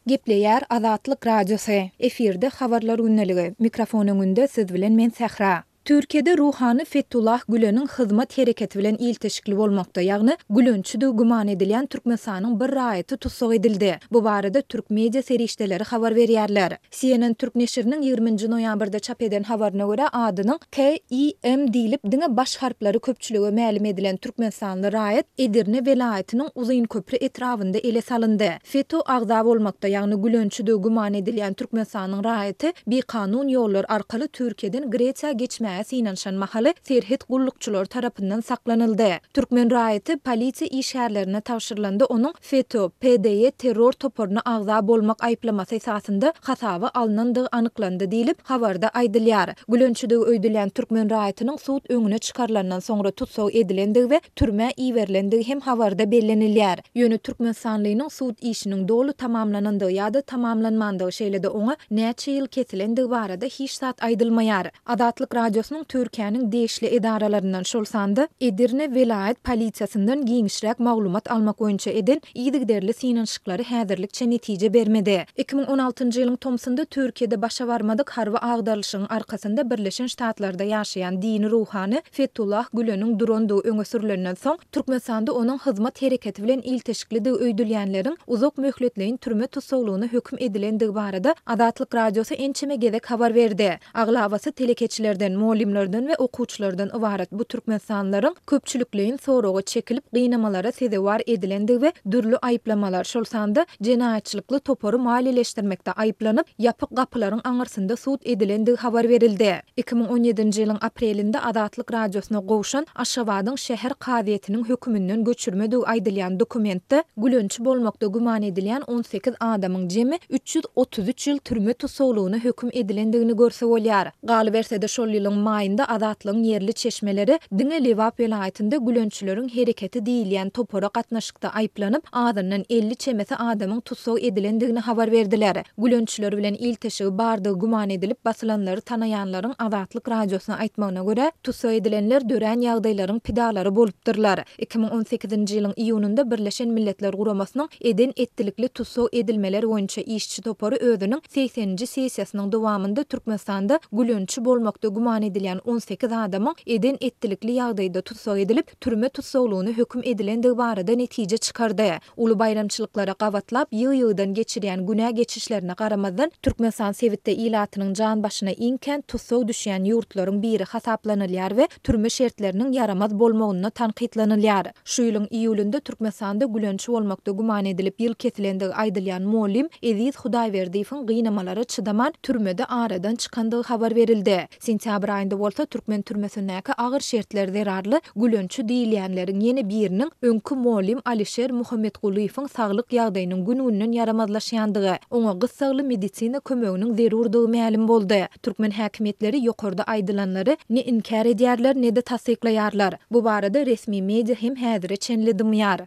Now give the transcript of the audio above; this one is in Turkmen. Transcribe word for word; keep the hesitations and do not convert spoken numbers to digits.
Gepleýär Azatlyk Radiosy. Efirde Habarlar gündeligi. Mikrofon öňünde siz bilen men Sähra. Türkiýede ruhany Fetullah Güleniň Hyzmat hereketi bilen ilteşikli bolmakda, ýagny gülençidigi güman edilýän Türkmenistanyň bir raýaty tussag edildi. Bu barada türk media serişdeleri habar berýärler. C N N türk neşiriniň ýigrimi nji noýabrda çap eden habaryna görä, adynyň K I M diýlip diňe baş harplary köpçülige mälim edilen türkmenistanly raýat Edirne welaýatynyň Uzynköpri etrabynda ele salyndy. FETÖ agza bolmakda, ýagny gülençidigi güman edilýän Türkmenistanyň raýaty bikanun ýollar arkaly Türkiýeden Gresiýa geçmäge synanyşan mahaly serhet gullukçylary tarapyndan saklanyldy. Türkmen raýaty polisiýa işgärlerine tabşyrylanda onuň FETÖ, P D Y terror toparyna agza bolmak aýyplamasy esasynda hasaba alnandygy anyklandy diýlip, habarda aýdylýar. Gülençidigi öýdülýän türkmen raýatynyň sud öňüne çykarylandan soňra tussag edilendigi we türmä iberilendigi hem habarda bellenilýär. Ýöne türkmenistanlynyň sud işiniň doly tamamlanandygy ýa-da tamamlanmandygy, şeýle-de oňa näçe ýyl kesilendigi barada hiç zat aýdylmaýar. Azatlyk Radiosynyň Türkiýäniň degişli edaralaryndan, şol sanda Edirne welaýat polisiýasyndan giňişräk maglumat almak boýunça eden yzygiderli synanyşyklary häzirlikçe netije bermedi. Iki müň on altynjy ýylyň tomsunda Türkiýede başa barmadyk harby agdarylyşygyň arkasynda Birleşen Ştatlarda ýaşaýan dini ruhany Fetullah Güleniň durandygy öňe sürülenden soň, Türkmenistanda onuň Hyzmat hereketi bilen ilteşiklidigi öýdülýänleriň uzak möhletleýin türme tussaglygyna höküm edilendigi barada Azatlyk Radiosy ençeme gezek habar berdi. Aglabasy telekeçilerden, mugallymlardan we okuwçylardan ybarat bu türkmenistanlylaryň köpçülikleýin soraga çekilip, gynamalara sezewar edilendigi we dürli aýyplamalar, şol sanda jenaýatçylykly topary maliýeleşdirmekde aýyplanyp, ýapyk gapylaryň aňyrsynda sud edilendigi habar berildi. Iki müň on ýedinji ýylyň aprelinde Azatlyk Radiosyna gowşan Aşgabadyň şäher kazyýetiniň höküminden göçürmedigi aýdylýan dokumentde gülençi bolmakda güman edilýän on sekiz adamyň jemi üç ýüz otuz üç ýyl türme tussaglygyna höküm edilendigini görse bolýar. Galyberse-de, şol ýylyň maýynda Azatlygyň ýerli çeşmeleri diňe Lebap welaýatynda gülençileriň hereketi diýilýän topara gatnaşykda aýyplanyp, azyndan elli çemesi adamyň tussag edilendigini habar berdiler. Gülençiler bilen ilteşigi bardygy güman edilip basylanlary tanaýanlaryň Azatlyk Radiosyna aýtmagyna görä, tussag edilenler dörän ýagdaýlaryň pidalary bolupdyrlar. Iki müň on sekizinji ýylyň iýunynda Birleşen Milletler Guramasynyň eden etdilikli tussag edilmeler boýunça işçi topary özüniň segseninji sessiýasynyň dowamynda Türkmenistanda gülençi bolmakda güman edilýän on sekiz adamyň eden etdilikli ýagdaýda tussag edilip, türme tussaglygyna höküm edilendigi barada netije çykardy. Uly baýramçylyklara gabatlap, ýygy-ýygydan geçirýän günä geçişlerine garamazdan, Türkmenistan sebitde ilatynyň jan başyna iň kän tussag düşýän ýurtlaryň biri hasaplanylýar we türme şertleriniň ýaramaz bolmagynda tankytlanylýar. Şu ýylyň iýulynda Türkmenistanda gülençi bolmakda güman edilip ýyl kesilendigi aýdylýan mugallym Eziz Hudaýberdiýewiň gynamalara çydaman türmede aradan çykandygy habar berildi. Sentýabr aýynda bolsa türkmen türmesindäki agyr şertler zerarly gülençi diýilýänleriň ýene biriniň öňki mugallym Alişer Muhammetgulyýewiň saglyk ýagdaýynyň gün-günden ýaramazlaşýandygy, oňa gyssagly medisina kömeginiň zerurdygy mälim boldy. Türkmen häkimiýetleri ýokarda aýdylanlary ne inkär edýärler, ne-de tassyklaýarlar. Bu barada resmi media hem häzire çenli dymýar.